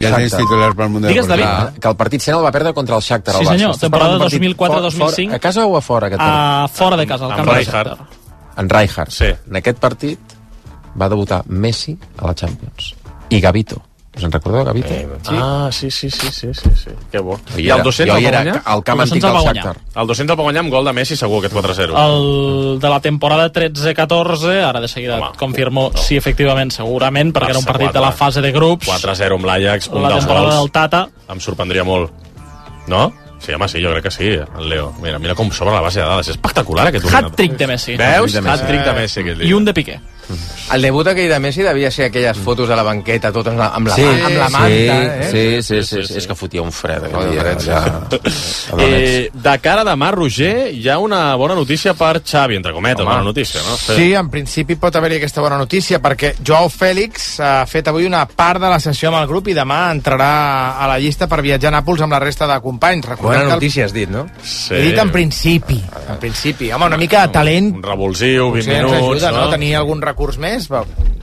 Ja tens titulars pel Mundial. Digues, David. Que el partit sent el va perdre contra el Shakhtar. Sí, senyor, temporada 2004-2005. A casa o a fora, aquest partit? Fora de casa, al camp del Shakhtar. En Rijkaard. Sí. En aquest partit va debutar Messi a la Champions. I Gavito. Us en recordeu, Gavito? Sí. Que bo. I el 200 el va guanyar? El camp antic del Shakhtar. El 200 el va guanyar amb gol de Messi, segur, aquest 4-0. El de la temporada 13-14, ara de seguida confirmo si efectivament, segurament, perquè era un partit de la fase de grups. 4-0 amb l'Ajax, un la dels temporada gols. del Tata. Em sorprendria molt. No? Sí, home, sí, jo crec que sí, el Leo. Mira com sobre la base de dades. És espectacular, aquest ordinador. Hat-trick de Messi. Veus? Hat-trick de Messi, aquest dia. I un de Piqué. El debut aquell de Messi devia ser aquelles fotos a la banqueta, tot amb la manta. Sí. És que fotia un fred. De cara a demà, Roger, hi ha una bona notícia per Xavi, entre cometes, bona notícia, no? Sí, en principi pot haver-hi aquesta bona notícia, perquè Joao Félix ha fet avui una part de la sessió amb el grup i demà entrarà a la llista per viatjar a Nàpols amb la resta de companys. Bona notícia, has dit, no? Sí. He dit en principi. Home, una mica de talent. Un revulsiu, 20 minuts, ajuda, no? Tenir algun recurs més.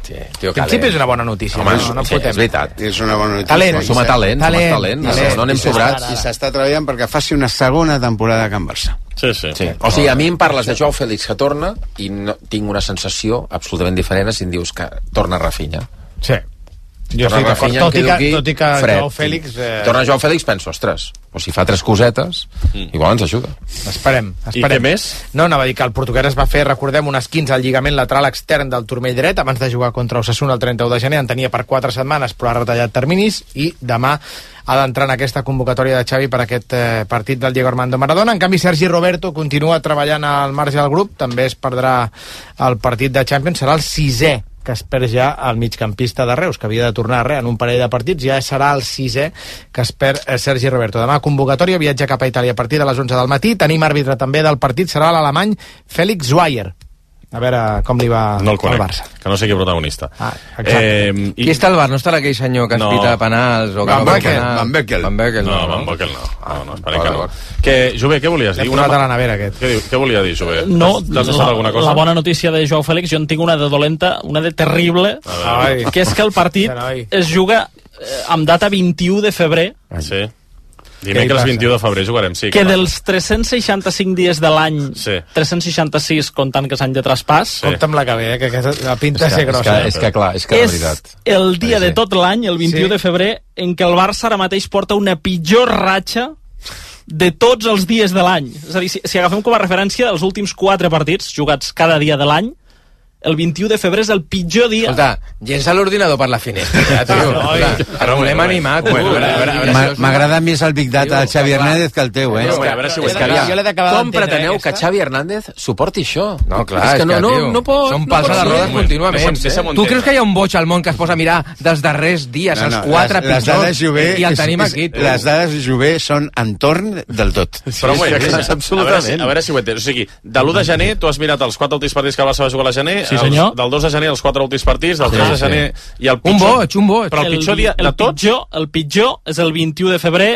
Sí, en principi és una bona notícia. Home, no és veritat. És una bona notícia. Talent. Som a talent. No anem sobrats. I s'està treballant perquè faci una segona temporada a Can Barça. Sí. O sigui, a mi em parles de Joao Félix que torna i no, tinc una sensació absolutament diferent si em dius que torna Rafinha. Sí. Jo estic d'acord, tot i que Joao Félix... Torna Joao Félix, penso, ostres, o si fa 3 cosetes, igual ens ajuda. Esperem. I què més? No, anava a dir que el portuguès es va fer, recordem, un esquinç al lligament lateral extern del turmell dret abans de jugar contra Osasuna el 31 de gener. En tenia per 4 setmanes, però ha retallat terminis i demà ha d'entrar en aquesta convocatòria de Xavi per aquest partit del Diego Armando Maradona. En canvi, Sergi Roberto continua treballant al marge del grup, també es perdrà el partit de Champions, serà el 6è que es perd ja el migcampista de Reus, que havia de tornar en un parell de partits, ja serà el 6è que es perd Sergi Roberto. Demà convocatòria, viatge cap a Itàlia a partir de les 11 del matí. Tenim àrbitre també del partit, serà l'alemany Felix Zweier. A veure com li va al Barça. Que no sé qui protagonista. Qui està al bar? No estarà aquell senyor que es pita penals? Van Beckel. No, Van Beckel no. Esperem que no. Jové, què volies dir? L'he posat a la nevera, aquest. Què volia dir, Jové? No, alguna cosa? la bona notícia de Joao Félix, jo en tinc una de dolenta, una de terrible, que és que el partit es juga amb data 21 de febrer. Sí. Dimecres 21 de febrer jugarem, sí. Que dels 365 dies de l'any, 366 comptant que és any de traspàs... Compte amb la que ve, que la pinta ser grossa. És que clar, és que la veritat... És el dia de tot l'any, el 21 de febrer, en què el Barça ara mateix porta una pitjor ratxa de tots els dies de l'any. És a dir, si agafem com a referència els últims 4 partits jugats cada dia de l'any, el 21 de febrer és el pitjor dia. Escolta, llença l'ordinador per la finestra, tio. Però volem animar, tu. M'agrada més el Big Data del Xavi Hernández que el teu, eh? Com preteneu que Xavi Hernández suporti això? No, clar, és que no pot... Són pals a les rodes contínuament. Tu creus que hi ha un boig al món que es posa a mirar dels darrers dies, els 4 pitjors, i el tenim aquí? Les dades Jové són entorn del tot. Però absolutament. A veure si ho entens. O sigui, de l'1 de gener, tu has mirat els 4 últims partits que el Barça va jugar a gener, sí, senyor. Del 2 de gener els 4 últims partits, del 3 de gener i el pitjor... Un boig. Però el pitjor dia de tots... El pitjor és el 21 de febrer,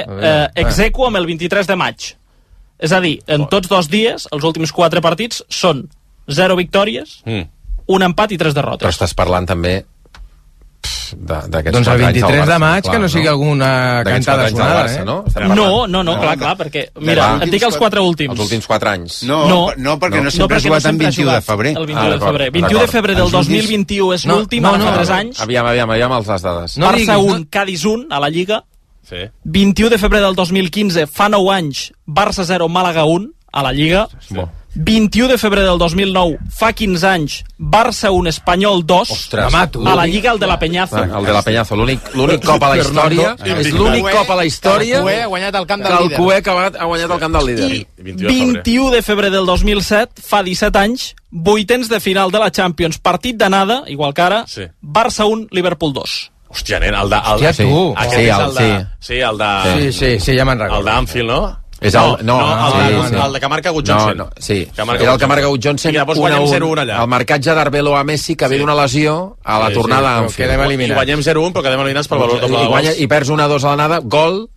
exequo amb el 23 de maig. És a dir, en tots 2 dies, els últims 4 partits són 0 victòries, un empat i 3 derrotes. Però estàs parlant també doncs el 23 de maig, que no sigui alguna cantada sonada, No, clar, perquè, mira, et dic els 4 últims. Els últims 4 anys. No, perquè no sempre ha jugat en 21 de febrer. El 21 de febrer. 21 de febrer del 2021 és l'últim, ara fa 3 anys. Aviam els dades. Barça 1, Cádiz 1 a la Lliga. 21 de febrer del 2015, fa 9 anys, Barça 0, Màlaga 1 a la Lliga. 21 de febrer del 2009, fa 15 anys, Barça 1, Espanyol 2, a la Lliga, el de la Peñazo. El de la Peñazo, l'únic cop a la història, és l'únic cop a la història que el Cué ha guanyat el camp del líder. Que el Cué ha guanyat el camp del líder. I 21 de febrer del 2007, fa 17 anys, vuitens de final de la Champions, partit d'anada, igual que ara, Barça 1, Liverpool 2. Hòstia, nen, el de... Sí, ja me'n recordo. El d'Anfield, no? El de que marca Gut Johnson. Era el que marca Gut Johnson. I llavors guanyem 0-1 allà. El marcatge d'Arbelo a Messi, que ve d'una lesió a la tornada a Anfield. I guanyem 0-1, però quedem eliminats pel valor doble de gols. I perds 1-2 a l'anada, gol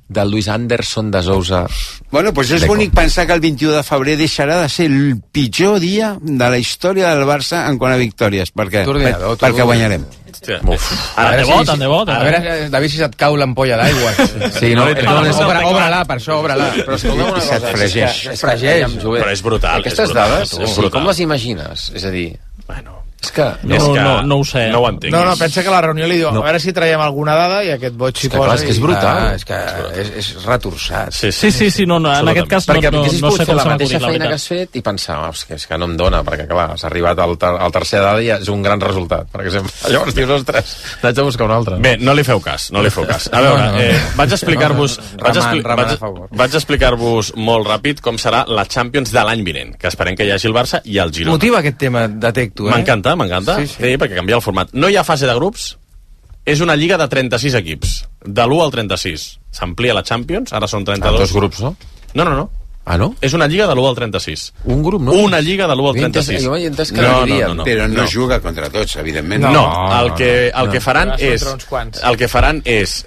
del Luis Anderson de Sousa. Bueno, doncs és bonic pensar que el 21 de febrer deixarà de ser el pitjor dia de la història del Barça en quant a victòries. Per què? Perquè guanyarem. Tant de bo. A veure, David, si se't cau l'ampolla d'aigua. Sí, no, obre-la, per això, obre-la. Però escolta'm una cosa. Es fregeix. Però és brutal. Aquestes dades, com les imagines? És a dir... Bueno... És que... No ho sé. No ho entenc. No, pensa que la reunió li diu, a veure si traiem alguna dada, i aquest boig s'hi posa... És que és brutal. És que és retorçat. Sí, no, en aquest cas no sé com la mateixa feina que has fet i pensar, és que no em dona, perquè clar, has arribat al tercer dada i és un gran resultat, per exemple. Llavors dius, ostres, n'haig de buscar un altre. Bé, no li feu cas. A veure, vaig explicar-vos molt ràpid com serà la Champions de l'any vinent, que esperem que hi hagi el Barça i el Girona. Motiva aquest tema, detecto, M'encanta. Sí, perquè canvia el format. No hi ha fase de grups, és una lliga de 36 equips, de l'1 al 36. S'amplia la Champions, ara són 32. Dos grups, no? No. Ah, no? És una lliga de l'1 al 36. Un grup, no? Una lliga de l'1 al 36. Jo he entès que no. Però no juga contra tots, evidentment. No, el que faran és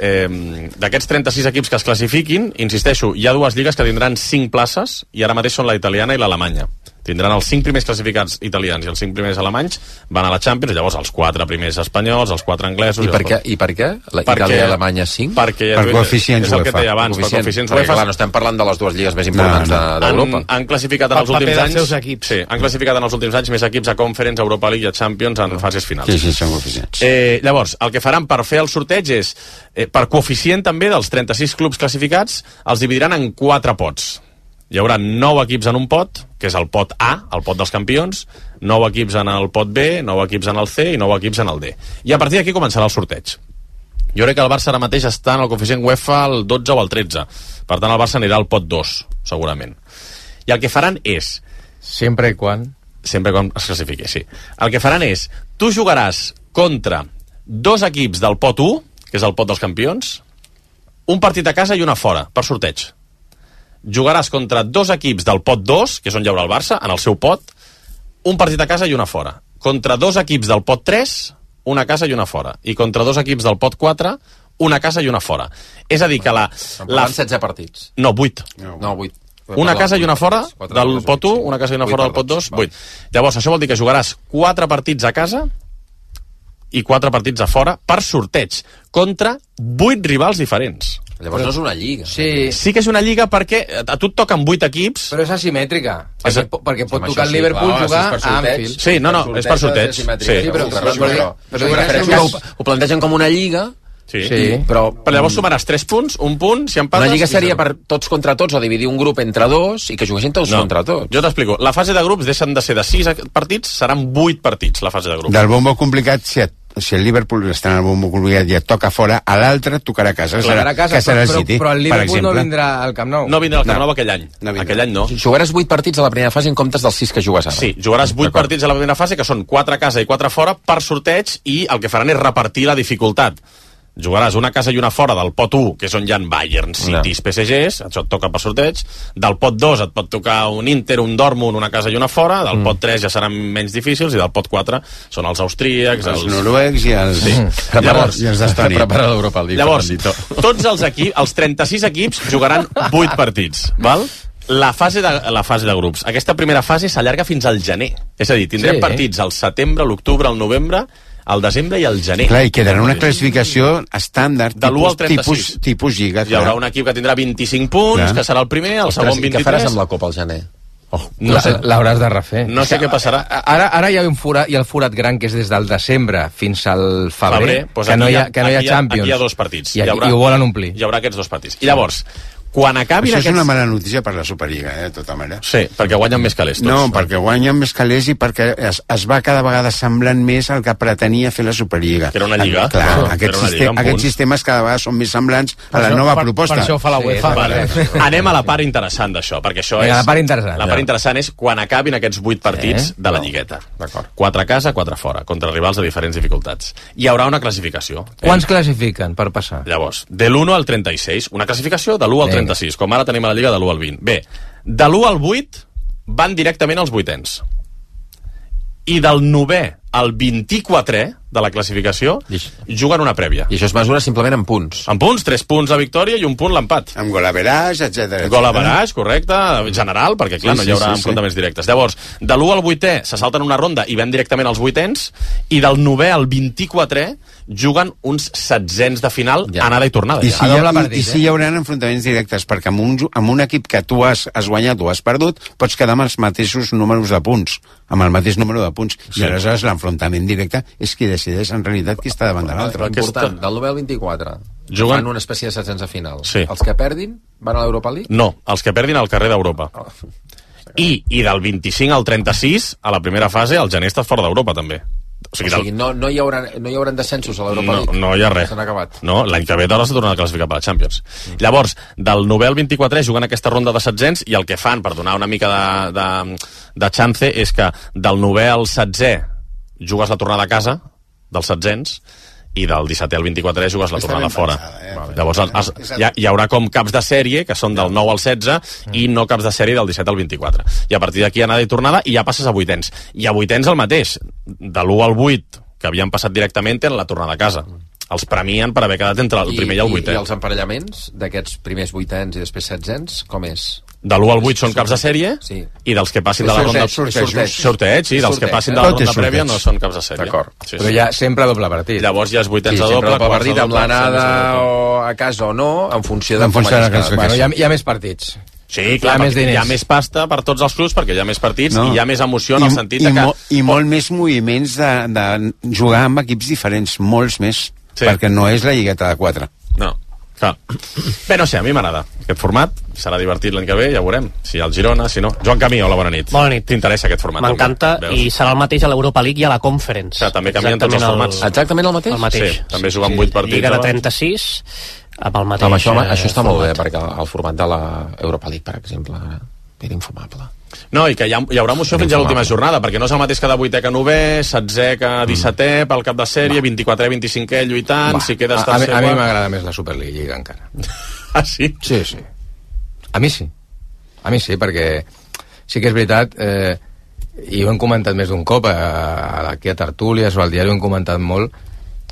d'aquests 36 equips que es classifiquin, insisteixo, hi ha dues lligues que tindran 5 places i ara mateix són la italiana i l'Alemanya. Tindran els 5 primers classificats italians i els 5 primers alemanys, van a la Champions, llavors els 4 primers espanyols, els 4 anglesos... I per què? Itàlia i Alemanya 5? Per coeficients UEFA. És el que deia abans, per coeficients UEFA. Clar, no estem parlant de les dues lligues més importants d'Europa. Han classificat en els últims anys... Sí, han classificat en els últims anys més equips a Conference, Europa League i a Champions en fases finals. Sí, són coeficients. Llavors, el que faran per fer el sorteig és, per coeficient també dels 36 clubs classificats, els dividiran en 4 pots. Hi haurà 9 equips en un pot, que és el pot A, el pot dels campions, 9 equips en el pot B, 9 equips en el C i 9 equips en el D. I a partir d'aquí començarà el sorteig. Jo crec que el Barça ara mateix està en el coeficient UEFA al 12 o al 13. Per tant, el Barça anirà al pot 2, segurament. I el que faran és... Sempre quan es classifiqui, sí. El que faran és... Tu jugaràs contra 2 equips del pot 1, que és el pot dels campions, un partit a casa i una fora, per sorteig. Jugaràs contra 2 equips del pot 2, que és on hi haurà el Barça, en el seu pot, un partit a casa i una fora. Contra 2 equips del pot 3, una a casa i una fora. I contra 2 equips del pot 4, una a casa i una fora. És a dir, que la 16 partits. No, 8. No, 8. Una casa i una fora del pot 1, una casa i una fora del pot 2, 8. Llavors, això vol dir que jugaràs 4 partits a casa i 4 partits a fora per sorteig, contra 8 rivals diferents. Llavors no és una lliga. Sí que és una lliga perquè a tu et toquen 8 equips. Però és asimètrica. Perquè pot tocar el Liverpool jugar a Anfield. Sí, no, és per sorteig. Però ho plantegen com una lliga. Sí. Però llavors sumaràs 3 punts, un punt, si empates... Una lliga seria per tots contra tots o dividir un grup entre 2 i que juguessin tots contra tots. Jo t'explico. La fase de grups deixen de ser de 6 partits, seran 8 partits, la fase de grups. Del bombo complicat, si el Liverpool està en el bombo complicat i et toca fora, a l'altre tocarà a casa, que serà el City, però el Liverpool no vindrà al Camp Nou. No vindrà al Camp Nou aquell any. Aquell any no. Jugaràs 8 partits a la primera fase en comptes dels 6 que jugues ara. Sí, jugaràs 8 partits a la primera fase, que són 4 a casa i 4 a fora, per sorteig, i el que faran és repartir la dificultat. Jugaràs una casa i una fora del pot 1, que és on hi ha Bayern, Cities, PSGs, això et toca per sorteig. Del pot 2 et pot tocar un Inter, un Dortmund, una casa i una fora. Del pot 3 ja seran menys difícils, i del pot 4 són els austríacs, els noruecs i els... Sí. Llavors, prepara l'Europa League. Llavors, tots els equips, els 36 equips, jugaran 8 partits, val? La fase de grups. Aquesta primera fase s'allarga fins al gener. És a dir, tindrem partits al setembre, l'octubre, al novembre, al desembre i al gener. Clar, i quedarà una classificació estàndard, tipus lliga. Hi haurà un equip que tindrà 25 punts, que serà el primer, el segon 23... I què faràs amb la Copa al gener? L'hauràs de refer. No sé què passarà. Ara hi ha el forat gran, que és des del desembre fins al febrer, que no hi ha Champions. Aquí hi ha 2 partits. I ho volen omplir. Hi haurà aquests 2 partits. I llavors, quan acabin això és una mala notícia per la Superliga, de tota manera. Sí, perquè guanyen més calés tots. No, perquè guanyen més calés i perquè es va cada vegada semblant més al que pretenia fer la Superliga. Que era una lliga. Clar, aquests sistemes cada vegada són més semblants a la nova proposta. Per això fa la UEFA. Anem a la part interessant d'això, perquè això és... La part interessant. La part interessant és quan acabin aquests 8 partits de la lligueta. 4 a casa, 4 a fora, contra rivals de diferents dificultats. Hi haurà una classificació. Quants classifiquen per passar? Llavors, de l'1 al 36, una classificació de l'1 al 36, com ara tenim a la Lliga de l'1 al 20. Bé, de l'1 al 8 van directament als vuitens. I del 9è al 24è de la classificació juguen una prèvia. I això es mesura simplement en punts. En punts, 3 punts la victòria i 1 punt l'empat. Amb gol average, etc. Gol average, correcte, general, perquè clar, no hi haurà enfrontaments directes. Llavors, de l'1 al 8è se salten una ronda i ven directament als 8ens, i del 9è al 24è juguen uns 16ens de final, anada i tornada. I si hi haurà enfrontaments directes, perquè amb un equip que tu has guanyat o has perdut, pots quedar amb els mateixos números de punts, amb el mateix número de punts, i aleshores l'enfrontament directe és qui decideix en realitat qui està davant de l'altre. Important, del 9 al 24 juguen una espècie de 16 de final. Els que perdin van a l'Europa League? No, els que perdin al carrer d'Europa. I del 25 al 36, a la primera fase, el gener està fora d'Europa també. O sigui, no hi haurà descensos a l'Europa League? No hi ha res. S'han acabat. No, l'any que ve d'hora s'ha tornat a classificar per la Champions. Llavors, del 9 al 24 juguen aquesta ronda de 16ens, i el que fan, per donar una mica de chance, és que del 9 al 16è jugues la tornada a casa, dels 16ens, i del 17è al 24è jugues la tornada fora. Llavors hi haurà com caps de sèrie, que són del 9 al 16, i no caps de sèrie del 17 al 24. I a partir d'aquí anada i tornada, i ja passes a 8ens. I a 8ens el mateix. De l'1 al 8, que havien passat directament, en la tornada a casa. Els premien per haver quedat entre el primer i el 8è. I els emparellaments d'aquests primers 8ens i després 16ens, com és? De l'1 al 8 són caps de sèrie, i dels que passin de la ronda... Sorteig, sí, dels que passin de la ronda prèvia no són caps de sèrie. D'acord. Però hi ha sempre doble partit. Llavors ja és 8ens a doble, partit amb l'anada o a casa o no, en funció de com hi ha més partits. Sí, clar, hi ha més pasta per tots els clubs, perquè hi ha més partits i hi ha més emoció en el sentit de que... I molt més moviments de jugar amb equips diferents, molts més, perquè no és la lligueta de 4. No. Clar. Bé, no sé, a mi m'agrada aquest format, serà divertit l'any que ve, ja veurem si el Girona, si no. Joan Camí, hola, bona nit. Bona nit. T'interessa aquest format? M'encanta, i serà el mateix a l'Europa League i a la Conference. O sigui, també canvien tots els formats. Exactament el mateix? El mateix. Sí, també juguen 8 partits. Lliga de 36, amb el mateix. Home, això està molt bé, perquè el format de l'Europa League, per exemple, era infumable. No, i que hi haurà emoció fins a l'última jornada, perquè no és el mateix que de 8è que 9è, 16è que 17è, pel cap de sèrie, 24è, 25è lluitant, si quedes tercer... A mi m'agrada més la Superliga encara. Ah, sí? Sí. A mi sí, perquè sí que és veritat, i ho hem comentat més d'un cop, aquí a Tertúlies o al diari ho hem comentat molt,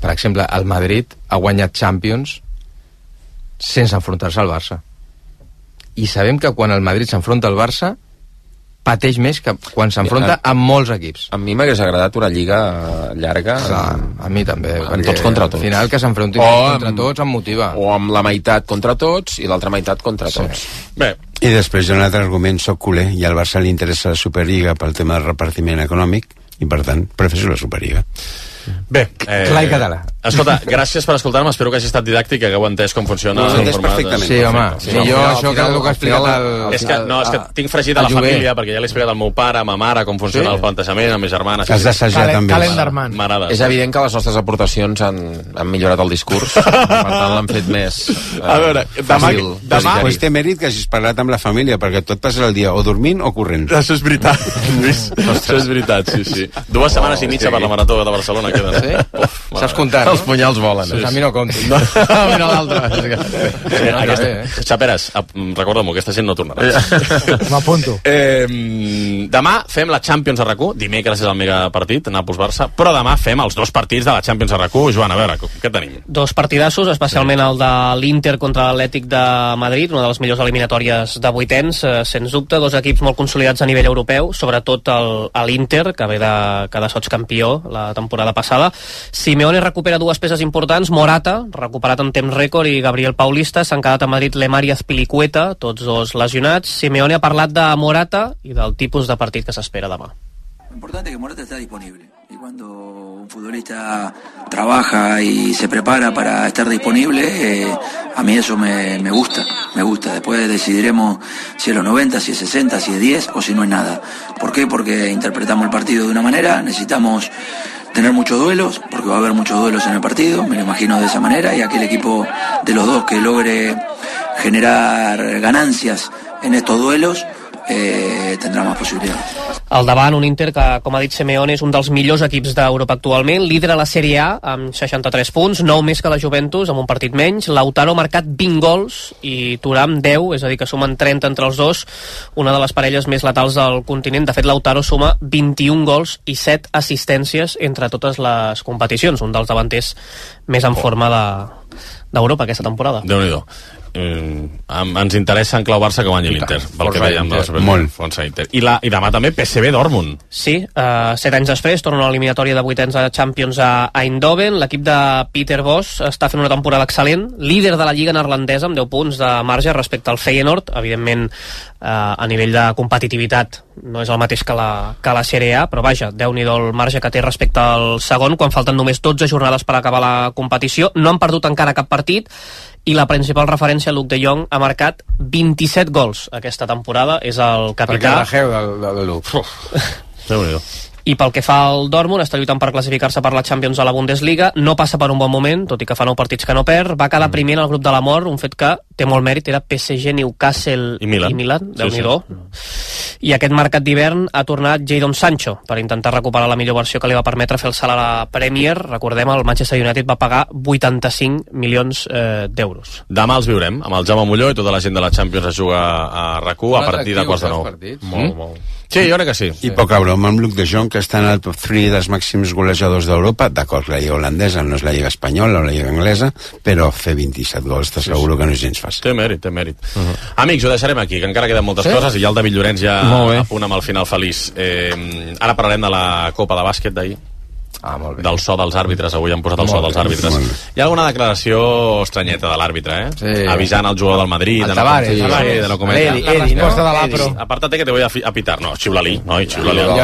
per exemple, el Madrid ha guanyat Champions sense enfrontar-se al Barça. I sabem que quan el Madrid s'enfronta al Barça pateix més que quan s'enfronta amb molts equips. A mi m'hagués agradat una lliga llarga. A mi també. Amb tots contra tots. Al final que s'enfrontin contra tots em motiva. O amb la meitat contra tots i l'altra meitat contra tots. Bé. I després hi ha un altre argument, soc culer, i al Barça li interessa la Superliga pel tema del repartiment econòmic, i per tant prefereixo la Superliga. Bé, clar i català. Escolta, gràcies per escoltar-me, espero que hagi estat didàctic, que hagueu entès com funciona el format. Perfectament. Sí, home, jo això que el que ha explicat és que tinc fregit a la família, perquè ja l'he explicat al meu pare, a ma mare, com funciona el plantejament, amb mes germanes. Has d'assajar també. Calendarman. És evident que les nostres aportacions han millorat el discurs, per tant l'han fet més a veure, demà pues té mèrit que hagis parlat amb la família, perquè tot passa el dia o dormint o corrent. Això és veritat, Lluís. Això és veritat, sí. 2 setmanes i mitja per la Marató de Barcelona queden. Saps comptar, els punyals volen. Sí. A mi no compti. Mira l'altre. Xaperes, recorda-m'ho, aquesta gent no tornarà. M'apunto. Demà fem la Champions a RAC1, dimecres és el mega partit, Nàpols-Barça, però demà fem els 2 partits de la Champions a RAC1. Joan, a veure, què tenim? 2 partidassos, especialment el de l'Inter contra l'Atlètic de Madrid, una de les millors eliminatòries de 8ens, sens dubte, 2 equips molt consolidats a nivell europeu, sobretot l'Inter, que ve de quedar sotscampió la temporada passada. Simeone recupera 2 peces importants, Morata, recuperat en temps rècord, i Gabriel Paulista. S'han quedat a Madrid Lemar i Azpilicueta, tots 2 lesionats. Simeone ha parlat de Morata i del tipus de partit que s'espera demà. Lo importante es que Morata está disponible, y cuando un futbolista trabaja y se prepara para estar disponible, a mí eso me gusta. Después decidiremos si es los 90, si es 60, si es 10 o si no es nada. ¿Por qué? Porque interpretamos el partido de una manera, necesitamos tener muchos duelos, porque va a haber muchos duelos en el partido, me lo imagino de esa manera, y aquel equipo de los dos que logre generar ganancias en estos duelos tendrá más posibilidades. Al davant, un Inter que, com ha dit Simeone, és un dels millors equips d'Europa actualment, líder a la Sèrie A amb 63 punts, 9 més que la Juventus, amb un partit menys. Lautaro ha marcat 20 gols i Thuram 10, és a dir, que sumen 30 entre els dos, una de les parelles més letals del continent. De fet, Lautaro suma 21 gols i 7 assistències entre totes les competicions, un dels davanters més en forma d'Europa aquesta temporada. Déu-n'hi-do. Ens interessa en clau Barça que guanyi l'Inter, pel que veiem molt. I demà també PSV Dortmund. Sí, 7 anys després torna a l'eliminatòria de vuitens de Champions a Eindhoven. L'equip de Peter Bosz està fent una temporada excel·lent, líder de la Lliga neerlandesa amb 10 punts de marge respecte al Feyenoord. Evidentment, a nivell de competitivitat no és el mateix que la Serie A, però vaja, Déu-n'hi-do el marge que té respecte al segon, quan falten només 12 jornades per acabar la competició. No han perdut encara cap partit, i la principal referència, Luuk de Jong, ha marcat 27 gols aquesta temporada, és el capità. Perquè la de Luuk. Déu-n'hi-do. I pel que fa al Dortmund, està lluitant per classificar-se per la Champions a la Bundesliga, no passa per un bon moment, tot i que fa 9 partits que no perd, va quedar primer en el grup de la mort, un fet que té molt mèrit, era PSG, Newcastle i Milan, Déu-n'hi-do. I aquest mercat d'hivern ha tornat Jadon Sancho per intentar recuperar la millor versió que li va permetre fer el salt a la Premier. Recordem, el Manchester United va pagar 85 milions d'euros. Demà els viurem, amb el Jaume Molló i tota la gent de la Champions a jugar a RAC1 a partir de quarts de 9. Molt. Sí, jo crec que sí. I poca broma amb Luuk de Jong, que està en el top 3 dels màxims golejadors d'Europa. D'acord, la lliga holandesa no és la lliga espanyola o la lliga anglesa, però fer 27 gols t'asseguro que no és gens fàcil. Té mèrit. Amics, ho deixarem aquí, que encara queden moltes coses, i ja el David Llorenç ja a punt amb el final feliç. Ara parlarem de la Copa de Bàsquet d'ahir. Molt bé. Del so dels àrbitres, avui han posat el so dels àrbitres. Hi ha alguna declaració estranyeta de l'àrbitre, Sí. Avisant al jugador del Madrid el Tavares, de no cometre. La resposta de l'Apro. Apártate que te voy a pitar. No, xiula-li, noi, xiula-li. No,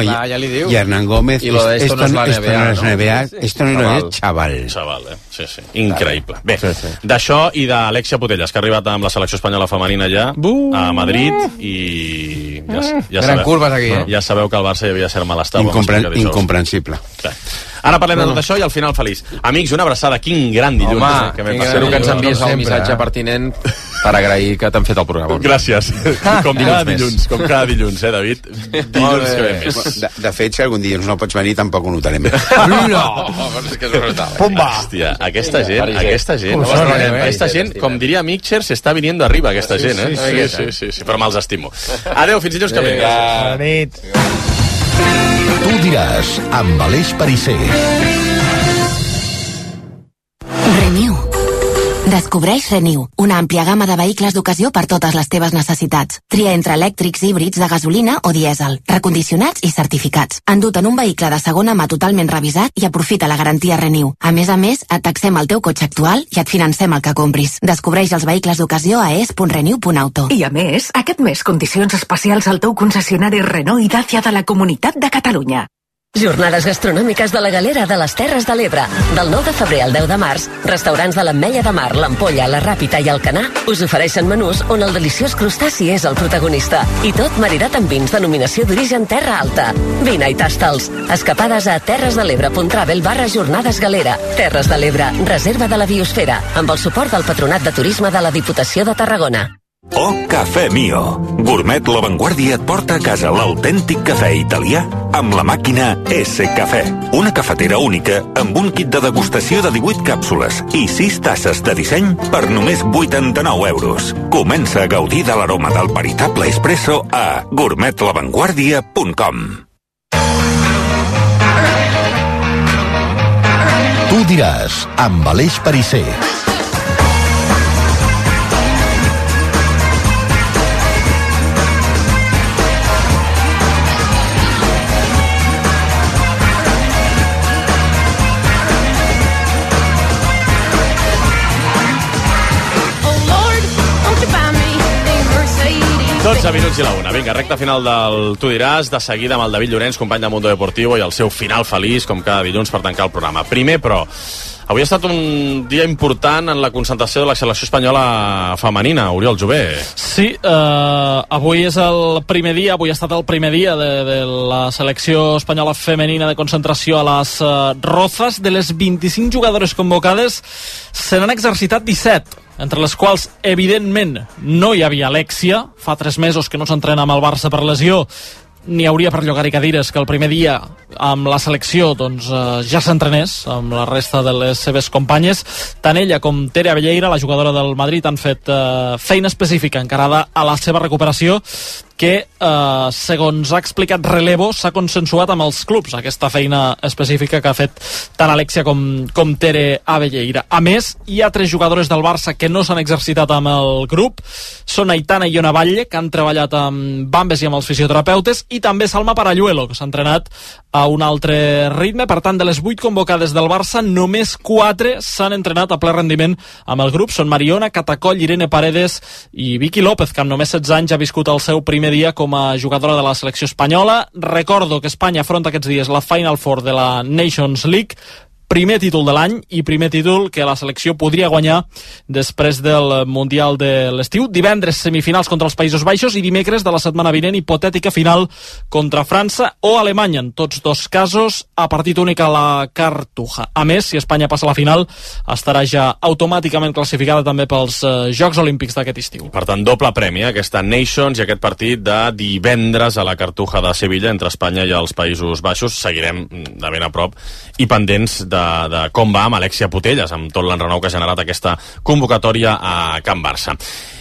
ja li diu. Y Hernán Gómez, Y lo de esto no es la NBA, esto no es chaval. Chaval, sí. Increïble. Bé, d'això i d'Alexia Putellas, que ha arribat amb la selecció espanyola femenina ja a Madrid, i Gran curves aquí, ja sabeu que el Barça hi havia cert malestar. Incomprensible. Ara parlem de tot això i al final feliç. Amics, una abraçada, quin gran dilluns. Espero que ens envies el missatge pertinent per agrair que t'han fet el programa. Gràcies. Com cada dilluns, David? Dilluns que ve més. De fet, si algun dilluns no pots venir, tampoc ho notarem. Pumba! Hòstia, aquesta gent, com diria Mitchell, s'està viniendo arriba, aquesta gent, Sí, però me'ls estimo. Adéu, fins dilluns que ve. Bona nit. Tu diràs, amb Aleix Perisser. Renew. Descobreix Renew, una àmplia gamma de vehicles d'ocasió per totes les teves necessitats. Tria entre elèctrics, híbrids, de gasolina o dièsel, recondicionats i certificats. Endut en un vehicle de segona mà totalment revisat i aprofita la garantia Renew. A més, et taxem el teu cotxe actual i et financem el que compris. Descobreix els vehicles d'ocasió a es.renew.auto. I a més, aquest mes condicions especials al teu concessionari Renault i Dacia de la Comunitat de Catalunya. Jornades gastronòmiques de la Galera de les Terres de l'Ebre. Del 9 de febrer al 10 de març, restaurants de l'Ametlla de Mar, l'Ampolla, la Ràpita i el Canà us ofereixen menús on el deliciós crustaci és el protagonista. I tot maridat amb vins denominació d'origen Terra Alta. Vine i tasta'ls. Escapades a terresdelebre.travel/jornades galera. Terres de l'Ebre, reserva de la biosfera, amb el suport del Patronat de Turisme de la Diputació de Tarragona. Oh, Cafè Mio. Gourmet La Vanguardia et porta a casa l'autèntic cafè italià amb la màquina S-Cafè. Una cafetera única amb un kit de degustació de 18 càpsules i 6 tasses de disseny per només 89 euros. Comença a gaudir de l'aroma del veritable espresso a gourmetlavanguardia.com. Tu diràs, amb Aleix Perisser. Tots a minuts i la una. Vinga, recta final del Tu diràs, de seguida amb el David Llorenç, company de Mundo Deportivo, i el seu final feliç, com cada dilluns, per tancar el programa. Primer, però, Avui ha estat un dia important en la concentració de la selecció espanyola femenina, Oriol Jové. Sí, avui és el primer dia, avui ha estat el primer dia de la selecció espanyola femenina de concentració a les Rozas. De les 25 jugadores convocades se n'han exercitat 17, entre les quals, evidentment, no hi havia Alexia. Fa 3 mesos que no s'entrena amb el Barça per lesió. N'hi hauria per llogar-hi cadires que el primer dia amb la selecció doncs, ja s'entrenés amb la resta de les seves companyes. Tant ella com Tere Abelleira, la jugadora del Madrid, han fet feina específica encarada a la seva recuperació, que, segons ha explicat Relevo, s'ha consensuat amb els clubs, aquesta feina específica que ha fet tant Alexia com Tere Abelleira. A més, hi ha 3 jugadores del Barça que no s'han exercitat amb el grup. Són Aitana i Iona Batlle, que han treballat amb Bambes i amb els fisioterapeutes, i també Salma Paralluelo, que s'ha entrenat a un altre ritme. Per tant, de les 8 convocades del Barça, només 4 s'han entrenat a ple rendiment amb el grup. Són Mariona, Catacoll, Irene Paredes i Vicky López, que amb només 16 anys ha viscut el seu primer dia com a jugadora de la selecció espanyola. Recordo que Espanya afronta aquests dies la Final Four de la Nations League, primer títol de l'any i primer títol que la selecció podria guanyar després del Mundial de l'estiu. Divendres semifinals contra els Països Baixos i dimecres de la setmana vinent hipotètica final contra França o Alemanya, en tots 2 casos a partit únic a la Cartuja. A més, si Espanya passa a la final, estarà ja automàticament classificada també pels Jocs Olímpics d'aquest estiu. Per tant, doble premi, aquesta Nations i aquest partit de divendres a la Cartuja de Sevilla entre Espanya i els Països Baixos. Seguirem de ben a prop i pendents de com va amb Alexia Putellas, amb tot l'enrenou que ha generat aquesta convocatòria a Can Barça.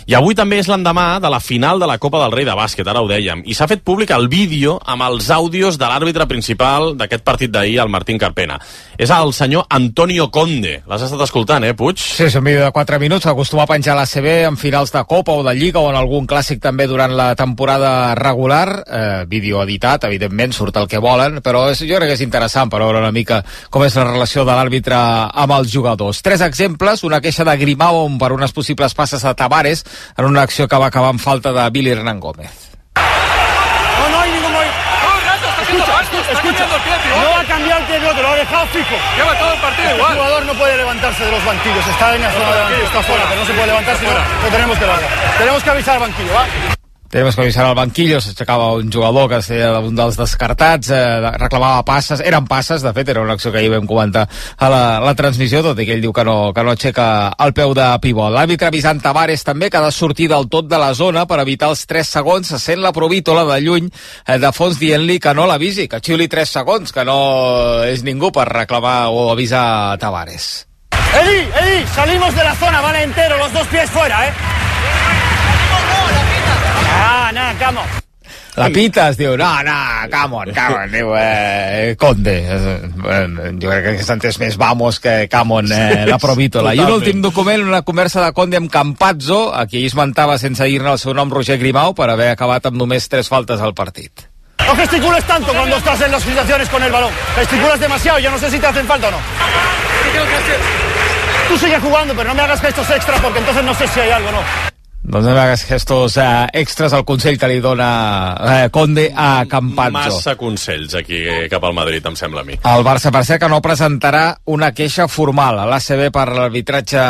I avui també és l'endemà de la final de la Copa del Rei de bàsquet, ara ho dèiem, i s'ha fet públic el vídeo amb els àudios de l'àrbitre principal d'aquest partit d'ahir, el Martín Carpena. És el senyor Antonio Conde. L'has estat escoltant, Puig? Sí, és un vídeo de 4 minuts, acostuma a penjar a l'ACB en finals de Copa o de Lliga o en algun clàssic també durant la temporada regular. Vídeo editat, evidentment, surt el que volen, però jo crec que és interessant per veure una mica com és la relació de l'àrbitre amb els jugadors. 3 exemples, una queixa de Grimao per unes possibles passes a Tavares en una acció que va acabar amb falta de Billy Hernán Gómez. No hay ningún movimiento. Escucha, no ha cambiado el pie, te lo ha dejado fijo. Lleva todo el partido igual. El jugador no puede levantarse de los banquillos, está en la zona de banquillo, está fuera, pero no se puede levantar, si no, lo tenemos que bajar. Tenemos que avisar al banquillo, ¿va? Tenemos que avisar al banquillo, s'aixecava un jugador que seria un dels descartats, reclamava passes, eren passes, de fet, era una acció que ahir vam comentar a la transmissió, tot i que ell diu que no aixeca el peu de pivot. L'àrbitre avisant Tavares també que ha de sortir del tot de la zona per evitar els 3 segons, se sent la provítola de lluny de fons dient-li que no l'avisi, que xiuli 3 segons, que no és ningú per reclamar o avisar Tavares. Eddie, salimos de la zona, van entero, los 2 pies fuera, No, come on. La Pitas diu, no, come on, diu, Conde. Jo crec que s'ha entès més vamos que come on, la provítola. I un últim document, una conversa de Conde amb Campazzo, a qui esmentava sense dir-ne el seu nom Roger Grimau per haver acabat amb només 3 faltes al partit. No gesticules tanto cuando estás en las situaciones con el balón. Gesticulas demasiado, yo no sé si te hacen falta o no. ¿Qué tengo que hacer? Tú sigue jugando, pero no me hagas gestos extra porque entonces no sé si hay algo, ¿no? Doncs no hagués gestos extras al consell que li dona Conde a Campazzo. Massa consells aquí cap al Madrid, em sembla a mi. El Barça, per cert, que no presentarà una queixa formal a l'ACB per l'arbitratge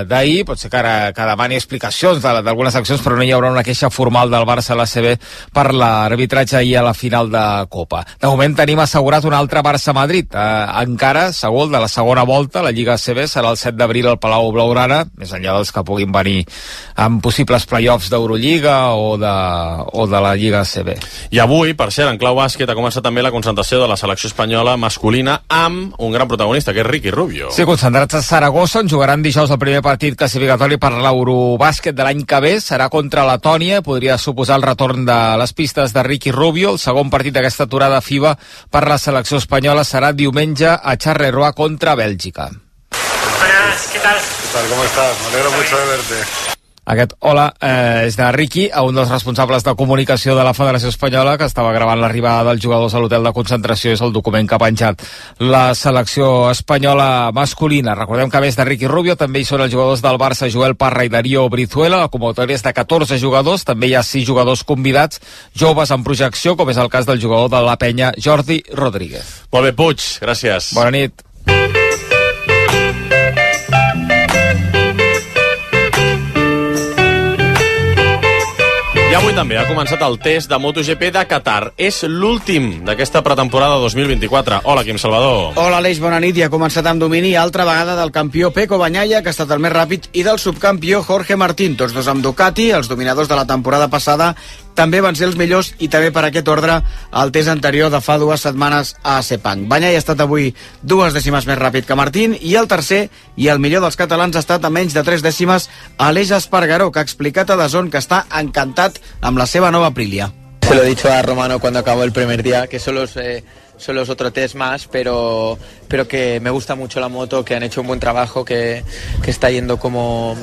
d'ahir. Pot ser que demani explicacions d'algunes accions, però no hi haurà una queixa formal del Barça a l'ACB per l'arbitratge ahir a la final de Copa. De moment tenim assegurat un altre Barça-Madrid. Encara, segur, de la segona volta, la Lliga ACB serà el 7 d'abril al Palau Blaugrana, més enllà dels que puguin venir amb possibilitats playoffs d'Eurolliga o de la Lliga ACB. I avui, per cert, en clau bàsquet ha començat també la concentració de la selecció espanyola masculina amb un gran protagonista, que és Ricky Rubio. Sí, concentrats a Saragossa, on jugaran dijous el primer partit classificatori per l'Eurobàsquet de l'any que ve. Serà contra Letònia, podria suposar el retorn de les pistes de Ricky Rubio. El segon partit d'aquesta aturada FIBA per la selecció espanyola serà diumenge a Charleroi contra Bèlgica. Buenas, ¿qué tal? ¿Qué tal? ¿Cómo estás? Me alegro mucho de verte. Aquest hola és de Ricky, un dels responsables de comunicació de la Federació Espanyola, que estava gravant l'arribada dels jugadors a l'hotel de concentració. És el document que ha penjat la selecció espanyola masculina. Recordem que a més de Ricky Rubio també hi són els jugadors del Barça, Joel Parra i Darío Brizuela. La convocatòria és de 14 jugadors, també hi ha 6 jugadors convidats, joves en projecció, com és el cas del jugador de la Penya, Jordi Rodríguez. Molt bé, Puig, gràcies. Bona nit. avui també ha començat el test de MotoGP de Qatar. És l'últim d'aquesta pretemporada 2024. Hola, Quim Salvador. Hola, Aleix, bona nit. I ha començat amb domini altra vegada del campió Pecco Bagnaia, que ha estat el més ràpid, i del subcampió Jorge Martín, tots dos amb Ducati. Els dominadors de la temporada passada també van ser els millors, i també per aquest ordre el test anterior de fa 2 setmanes a Sepang. Bagnaia ha estat avui 2 dècimes més ràpid que Martín, i el tercer i el millor dels catalans ha estat a menys de 3 dècimes Aleix Espargaró, que ha explicat a DAZN que està encantat amb la seva nova Aprilia. Se lo he dicho a Romano cuando acabó el primer día, que solo es otro test más, pero que me gusta mucho la moto, que han hecho un buen trabajo, que está yendo como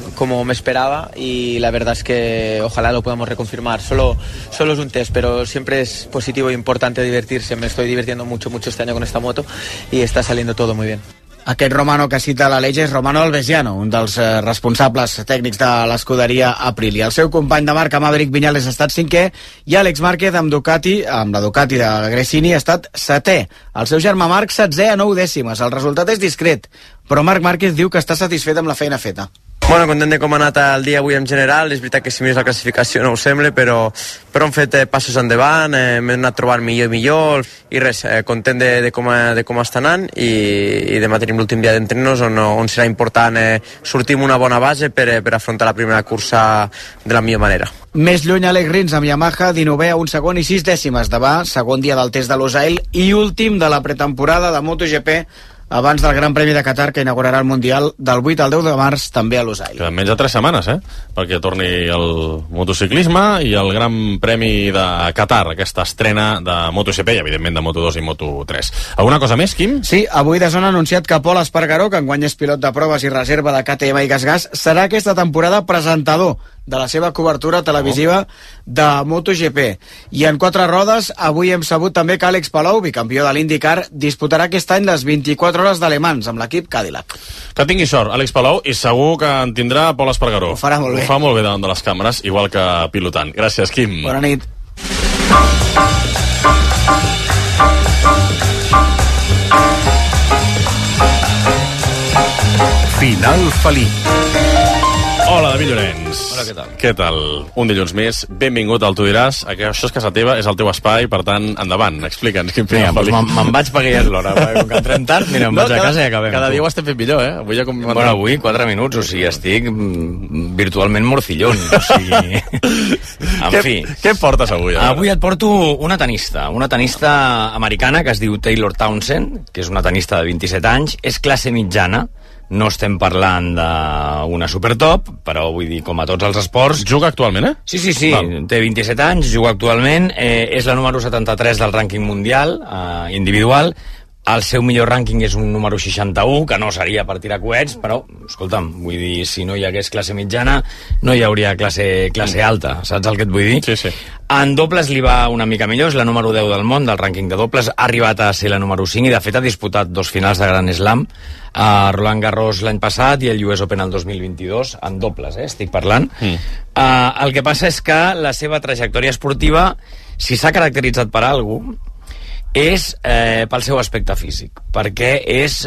me esperaba, y la verdad es que ojalá lo podamos reconfirmar. Solo es un test, pero siempre es positivo e importante divertirse. Me estoy divirtiendo mucho este año con esta moto y está saliendo todo muy bien. Aquest Romano que cita l'Aleix és Romano Albesiano, un dels responsables tècnics de l'escuderia Aprilia. El seu company de marca, Maverick Viñales, ha estat 5è, i Àlex Márquez amb la Ducati de Gresini, ha estat 7è. El seu germà Marc, 16è a 9 dècimes. El resultat és discret, però Marc Márquez diu que està satisfet amb la feina feta. Bueno, content de com ha anat el dia avui en general. És veritat que si mires la classificació no ho sembla, però hem fet passos endavant, hem anat trobant millor i millor, i res, content de com està anant, i demà tenim l'últim dia d'entrenos on serà important sortir amb una bona base per afrontar la primera cursa de la millor manera. Més lluny, Alex Rins amb Yamaha, 19è a 1 segon i 6 dècimes de va, segon dia del test de Losail i últim de la pretemporada de MotoGP abans del Gran Premi de Qatar, que inaugurarà el Mundial del 8 al 10 de març, també a Losail. Queden menys de 3 setmanes, perquè torni el motociclisme i el Gran Premi de Qatar, aquesta estrena de MotoGP i, evidentment, de Moto2 i Moto3. Alguna cosa més, Quim? Sí, avui DAZN ha anunciat que Pol Espargaró, que enguany és pilot de proves i reserva de KTM i GasGas, serà aquesta temporada presentador de la seva cobertura televisiva de MotoGP. I en 4 rodes, avui hem sabut també que Àlex Palou, bicampió de l'IndyCar, disputarà aquest any les 24 hores d'Ale Mans amb l'equip Cadillac. Que tingui sort, Àlex Palou, i segur que en tindrà Pol Espargaró. Ho farà molt bé. Ho fa molt bé davant de les càmeres, igual que pilotant. Gràcies, Quim. Bona nit. Final feliç. Hola, David Llorenç. Hola, què tal? Què tal? Un dilluns més. Benvingut al Tu diràs. Això és casa teva, és el teu espai, per tant, endavant. Explica'ns quin final feliç. Doncs me'n vaig perquè ja és l'hora, perquè com que entrem tard, mira, em vaig a casa i acabem. Cada dia ho estem fent millor, Avui ja Bueno, avui 4 minuts, o sigui, estic virtualment morcillón, o sigui... En fi. Què em portes avui? Avui et porto una tenista americana que es diu Taylor Townsend, que és una tenista de 27 anys, és classe mitjana. No estem parlant d'una supertop, però vull dir, com a tots els esports... Juga actualment, Sí. Té 27 anys, juga actualment, és la número 73 del rànquing mundial, individual. El seu millor rànquing és un número 61, que no seria per tirar coets, però, escolta'm, vull dir, si no hi hagués classe mitjana, no hi hauria classe alta, saps el que et vull dir? Sí. En dobles li va una mica millor, és la número 10 del món, del rànquing de dobles, ha arribat a ser la número 5 i, de fet, ha disputat 2 finals de Grand Slam, a Roland Garros l'any passat i el US Open el 2022, en dobles, estic parlant. El que passa és que la seva trajectòria esportiva, si s'ha caracteritzat per alguna cosa, és pel seu aspecte físic, perquè és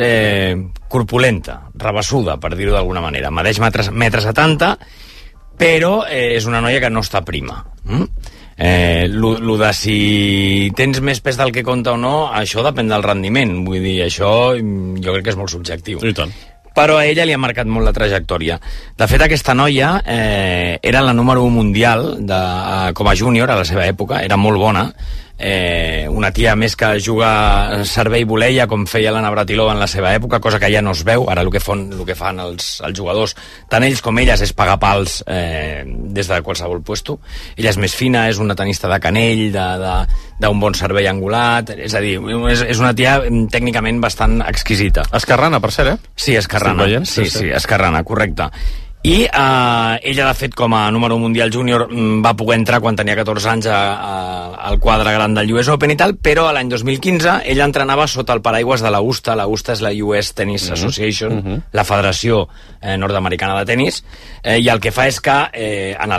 corpulenta, rabassuda, per dir-ho d'alguna manera. Medeix 1,70 m, però és una noia que no està prima. Lo de si tens més pes del que compta o no, això depèn del rendiment. Vull dir, això jo crec que és molt subjectiu. I tant. Però a ella li ha marcat molt la trajectòria. De fet, aquesta noia era la número 1 mundial com a júnior a la seva època, era molt bona. Una tia més que juga servei voleia com feia l'Anna Bratilova en la seva època, cosa que ja no es veu. Ara el que fan els jugadors, tant ells com elles, és pagar pals des de qualsevol puesto. Ella és més fina, és una tenista de canell, d'un bon servei angulat, és a dir, és una tia tècnicament bastant exquisita. Esquerrana, per cert, Sí, esquerrana. Sí, esquerrana, correcte. I ella, de fet, com a número mundial júnior, va poder entrar quan tenia 14 anys al quadre gran del US Open i tal, però l'any 2015 ella entrenava sota el paraigües de la USTA. La USTA és la US Tennis Association, la Federació Nord-Americana de Tenis, i el que fa és que en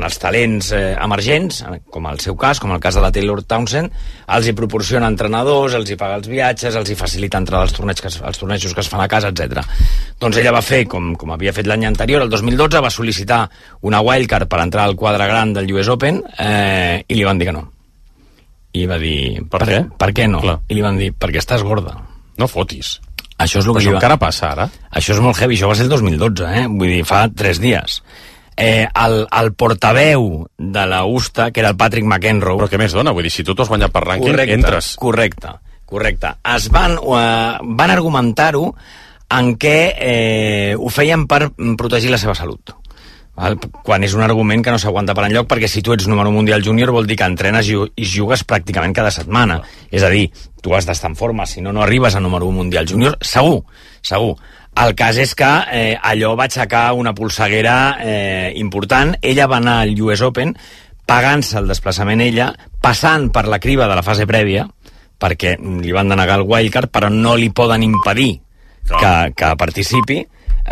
els talents emergents, com el seu cas, com el cas de la Taylor Townsend, els hi proporciona entrenadors, els hi paga els viatges, els hi facilita entrar als tornejos que es fan a casa, etc. Doncs ella va fer, com havia fet l'any anterior, el 2012 va sol·licitar una wildcard per entrar al quadre gran del US Open i li van dir que no. I va dir... Per què? Per què no? Clar. I li van dir, perquè estàs gorda. No fotis. Això és el que encara passa ara? Això és molt heavy, això va ser el 2012, Vull dir, fa 3 dies. El portaveu de la USTA, que era el Patrick McEnroe... Però què més dona? Vull dir, si tu t'has guanyat per rànquing, entres. Correcte. Es van argumentar-ho en què ho feien per protegir la seva salut. Val? Quan és un argument que no s'aguanta per enlloc, perquè si tu ets número mundial júnior vol dir que entrenes i jugues pràcticament cada setmana. És a dir, tu has d'estar en forma, si no, no arribes a número mundial júnior, segur. El cas és que allò va aixecar una polseguera important. Ella va anar al US Open pagant-se el desplaçament ella, passant per la criba de la fase prèvia, perquè li van denegar el wildcard, però no li poden impedir que participi.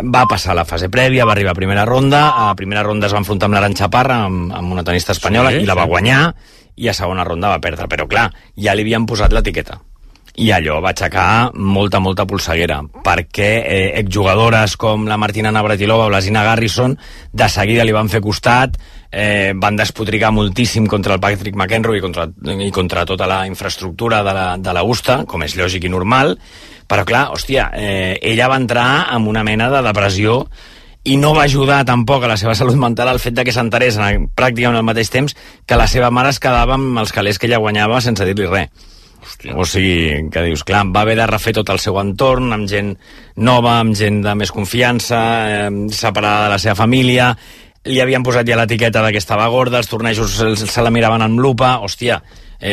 Va passar la fase prèvia, va arribar a primera ronda. A primera ronda es va enfrontar amb l'Arantxa Parra, amb una tenista espanyola, i la va guanyar, i a segona ronda va perdre. Però clar, ja li havien posat l'etiqueta. I allò va aixecar molta polseguera, perquè exjugadores com la Martina Navratilova o la Zina Garrison de seguida li van fer costat, van despotricar moltíssim contra el Patrick McEnroe i contra tota la infraestructura de la USTA, com és lògic i normal, però clar, hòstia, ella va entrar en una mena de depressió i no va ajudar tampoc a la seva salut mental el fet de que s'enterés pràcticament al mateix temps que la seva mare es quedava amb els calés que ella guanyava sense dir-li res. Hòstia. O sigui, que dius, clar, va haver de refer tot el seu entorn, amb gent nova, amb gent de més confiança, separada de la seva família, li havien posat ja l'etiqueta de que estava gorda, els tornejos se la miraven amb lupa, hòstia,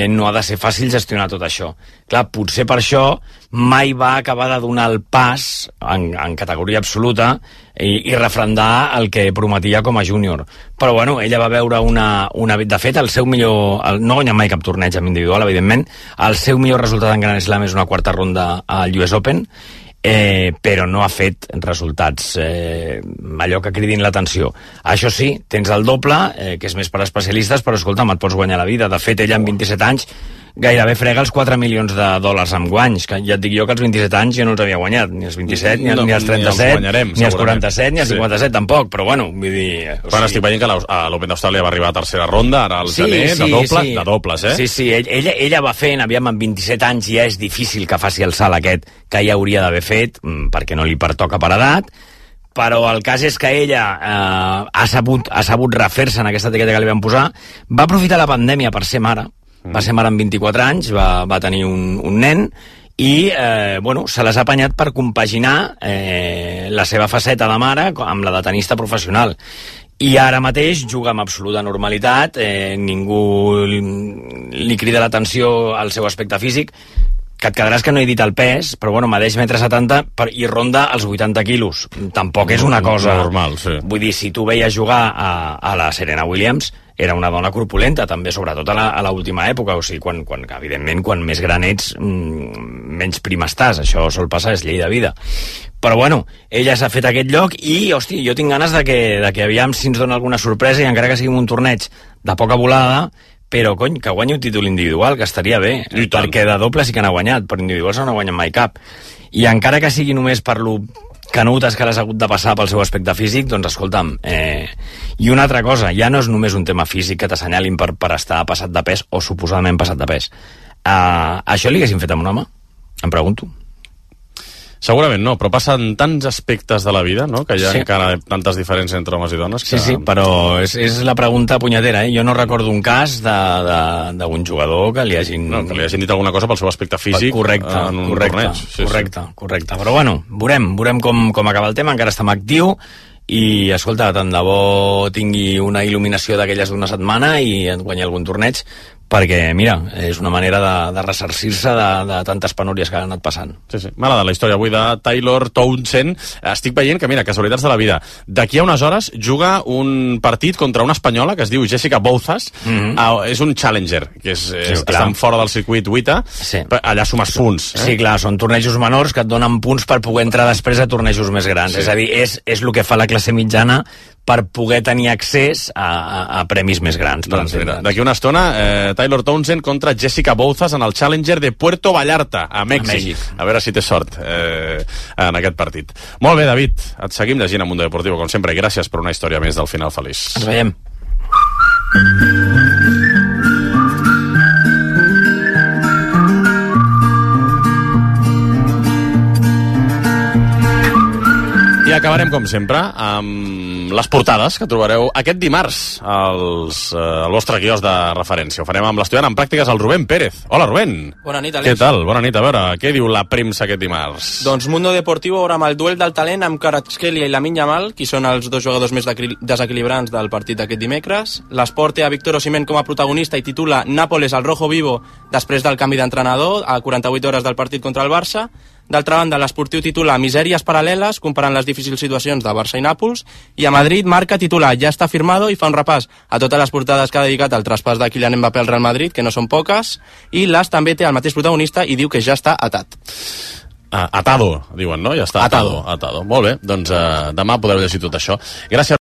no ha de ser fàcil gestionar tot això. Clar, potser per això mai va acabar de donar el pas en categoria absoluta i refrendar el que prometia com a júnior. Però bueno, ella va veure de fet, el seu millor... no guanya mai cap torneig en individual, evidentment. El seu millor resultat en Grand Slam és una quarta ronda al US Open, però no ha fet resultats allò que cridin l'atenció. Això sí, tens el doble, que és més per especialistes, però escolta'm, et pots guanyar la vida. De fet, ella amb 27 anys gairebé frega els 4 milions de dòlars amb guanys, que ja et dic jo que als 27 anys ja no els havia guanyat, ni als 27, ni als 37, ni als 47, ni als 57 tampoc, però bueno, vull dir... Quan estic veient que l'Open d'Austràlia va arribar a tercera ronda, ara al gener, de dobles, Sí, ella va fent, aviam, amb 27 anys ja és difícil que faci el salt aquest que ja hauria d'haver fet, perquè no li pertoca per edat, però el cas és que ella ha sabut refer-se en aquesta etiqueta que li van posar, va aprofitar la pandèmia per ser mare, va ser mare amb 24 anys, va tenir un nen i se les ha apanyat per compaginar la seva faceta de mare amb la de tenista professional. I ara mateix juga amb absoluta normalitat, ningú li crida l'atenció al seu aspecte físic, que et quedaràs que no he dit el pes, però bueno, medeix 1,70 m i ronda els 80 quilos. Tampoc és una cosa... normal, sí. Vull dir, si tu veies jugar a la Serena Williams, era una dona corpulenta, també, sobretot a l'última època, o sigui, evidentment, quan més gran ets, menys prim estàs, això sol passar, és llei de vida. Però bueno, ella s'ha fet aquest lloc i, hòstia, jo tinc ganes de que aviam si ens dona alguna sorpresa i encara que sigui un torneig de poca volada, però, cony, que guanyi un títol individual, que estaria bé, perquè de doble sí que n'ha guanyat, però individuals no n'ha guanyat mai cap. I encara que sigui només per lo canutes que l'has hagut de passar pel seu aspecte físic, doncs escolta'm, i una altra cosa, ja no és només un tema físic que t'assenyalin per estar passat de pes o suposadament passat de pes. Això li haguessin fet amb un home? Em pregunto. Segurament no, però passen tants aspectes de la vida, no?, que hi ha encara tantes diferències entre homes i dones. Sí, però és la pregunta punyetera, Jo no recordo un cas d'un jugador que li hagin... No, que li hagin dit alguna cosa pel seu aspecte físic en un torneig. Correcte. Però bueno, veurem com acaba el tema, encara estem actiu, i escolta, tant de bo tingui una il·luminació d'aquelles d'una setmana i et guanyi algun torneig, perquè, mira, és una manera de ressarcir-se de tantes penúries que han anat passant. Sí. M'ha agradat la història avui de Taylor Townsend. Estic veient que, mira, casualitats de la vida. D'aquí a unes hores juga un partit contra una espanyola que es diu Jessica Bouzas. És un challenger, que estan fora del circuit WTA. Allà sumes punts. Sí, clar, són tornejos menors que et donen punts per poder entrar després a tornejos més grans. És a dir, és el que fa la classe mitjana per poder tenir accés a premis més grans. Doncs mira, d'aquí una estona, Taylor Townsend contra Jessica Bouzas en el Challenger de Puerto Vallarta, a Mèxic. A veure si té sort en aquest partit. Molt bé, David, et seguim llegint a Mundo Deportivo, com sempre, i gràcies per una història més del final feliç. Ens veiem. I acabarem, com sempre, amb les portades que trobareu aquest dimarts al vostre quiosc de referència. Ho farem amb l'estudiant en pràctiques, el Rubén Pérez. Hola, Rubén. Bona nit, Àlex. Què tal? Bona nit. A veure, què diu la premsa aquest dimarts? Doncs Mundo Deportivo obre amb el duel del talent amb Kvaratskhelia i Lamine Yamal, qui són els dos jugadors més desequilibrants del partit d'aquest dimecres. L'Esport té a Víctor Osimhen com a protagonista i titula Nàpoles al rojo vivo després del canvi d'entrenador a 48 hores del partit contra el Barça. D'altra banda, l'Esportiu titula Misèries paral·leles, comparant les difícils situacions de Barça i Nàpols, i a Madrid Marca titula Ja està firmado i fa un repàs a totes les portades que ha dedicat al traspàs de Kylian Mbappé al Real Madrid, que no són poques, i l'As també té el mateix protagonista i diu que ja està atat. Atado, diuen, no? Ja està atado. Molt bé, doncs demà podreu llegir tot això. Gràcies.